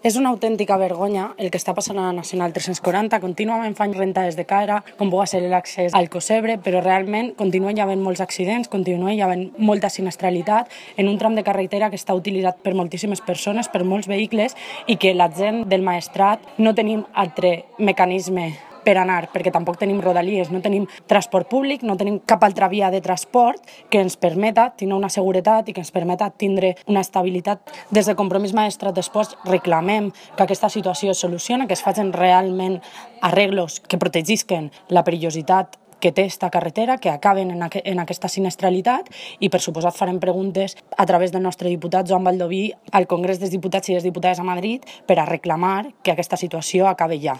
És una autèntica vergonya el que està passant a la Nacional 340. Contínuament fan rentades de cara, com pugui ser l'accés al Cosebre, però realment continuen havent molts accidents, continuen havent molta sinistralitat en un tram de carretera que està utilitzat per moltíssimes persones, per molts vehicles, i que la gent del Maestrat no tenim altre mecanisme per anar, perquè tampoc tenim rodalies, no tenim transport públic, no tenim cap altra via de transport que ens permeta tenir una seguretat i que ens permeta tindre una estabilitat. Des de Compromís Maestrat després reclamem que aquesta situació es solucioni, que es facin realment arreglos que protegisquen la perillositat que té esta carretera, que acaben en aquesta sinistralitat, i per suposat farem preguntes a través del nostre diputat Joan Baldoví al Congrés dels Diputats i les Diputades a Madrid per a reclamar que aquesta situació acabi ja.